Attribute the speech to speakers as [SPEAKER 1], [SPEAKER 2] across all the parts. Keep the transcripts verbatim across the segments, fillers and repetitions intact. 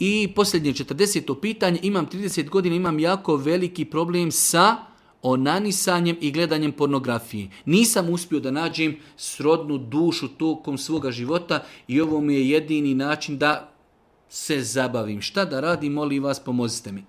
[SPEAKER 1] I posljednje četrdeseto pitanje, imam trideset godina, imam jako veliki problem sa onanisanjem i gledanjem pornografije. Nisam uspio da nađem srodnu dušu tokom svoga života i ovo mi je jedini način da se zabavim. Šta da radim, molim vas, pomozite mi.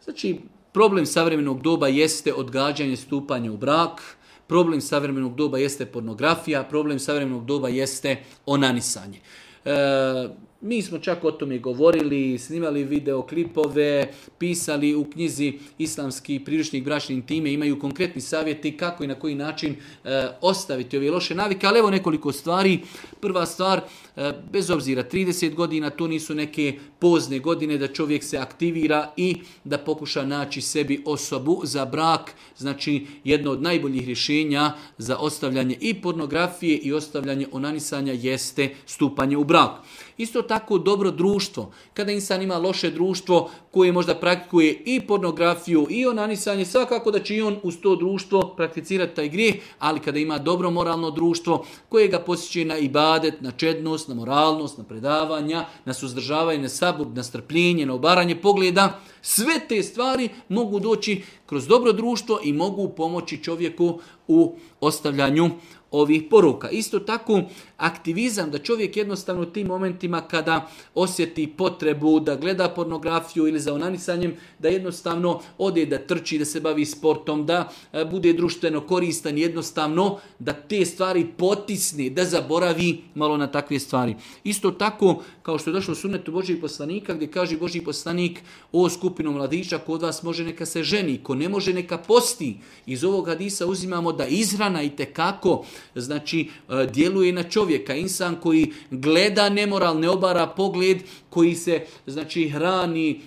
[SPEAKER 1] Znači, problem savremenog doba jeste odgađanje stupanja u brak, problem savremenog doba jeste pornografija, problem savremenog doba jeste onanisanje. E, mi smo čak o tome govorili, snimali videoklipove, pisali u knjizi Islamski priručnik bračne intime, imaju konkretni savjeti kako i na koji način e, ostaviti ove loše navike, ali evo nekoliko stvari. Prva stvar, e, bez obzira trideset godina, to nisu neke pozne godine da čovjek se aktivira i da pokuša naći sebi osobu za brak. Znači, jedno od najboljih rješenja za ostavljanje i pornografije i ostavljanje onanisanja jeste stupanje u brak. Isto tako dobro društvo. Kada insan ima loše društvo koje možda praktikuje i pornografiju i onanisanje, svakako da će i on uz to društvo prakticirati taj grijeh, ali kada ima dobro moralno društvo koje ga posjeća na ibadet, na čednost, na moralnost, na predavanja, na suzdržavanje, na sabur, na strpljenje, na obaranje pogleda, sve te stvari mogu doći kroz dobro društvo i mogu pomoći čovjeku u ostavljanju ovih poruka. Isto tako aktivizam, da čovjek jednostavno u tim momentima kada osjeti potrebu da gleda pornografiju ili za onanisanjem, da jednostavno ode da trči, da se bavi sportom, da bude društveno koristan, jednostavno da te stvari potisne, da zaboravi malo na takve stvari. Isto tako, kao što je došlo u sunnetu Božijeg poslanika, gdje kaže Božji poslanik, o skupinu mladića, kod vas može neka se ženi, ko ne može neka posti. Iz ovog hadisa uzimamo da izhrana itekako, znači, djeluje na čovjeka. Insan koji gleda nemoral, ne obara pogled, koji se, znači, hrani,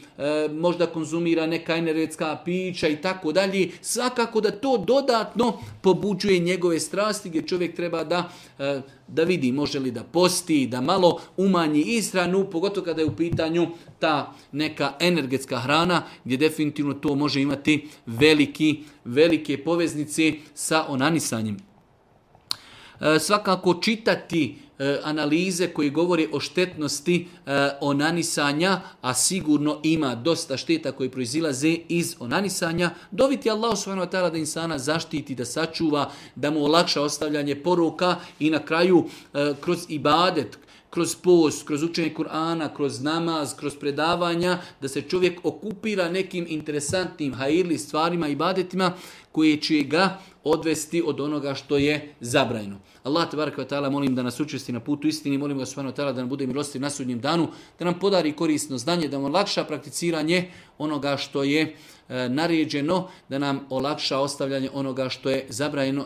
[SPEAKER 1] možda konzumira neka energetska pića i tako dalje, svakako da to dodatno pobuđuje njegove strasti, gdje čovjek treba da, da vidi može li da posti, da malo umanji ishranu, pogotovo kada je u pitanju ta neka energetska hrana, gdje definitivno to može imati veliki, velike poveznice sa onanisanjem. Svakako čitati analize koje govore o štetnosti onanisanja, a sigurno ima dosta šteta koje proizilaze iz onanisanja. Doviti Allahu subhanahu wa ta'ala da insana zaštiti, da sačuva, da mu olakša ostavljanje poruka i na kraju kroz ibadet, kroz post, kroz učenje Kur'ana, kroz namaz, kroz predavanja, da se čovjek okupira nekim interesantnim hajirli stvarima i ibadetima koje će ga odvesti od onoga što je zabranjeno. Allah tebareke ve taala molim da nas učvrsti na putu istini, molim ga subhanahu wa ta'ala da nam bude milostiv na sudnjem danu, da nam podari korisno znanje, da nam olakša prakticiranje onoga što je e, naređeno, da nam olakša ostavljanje onoga što je zabranjeno.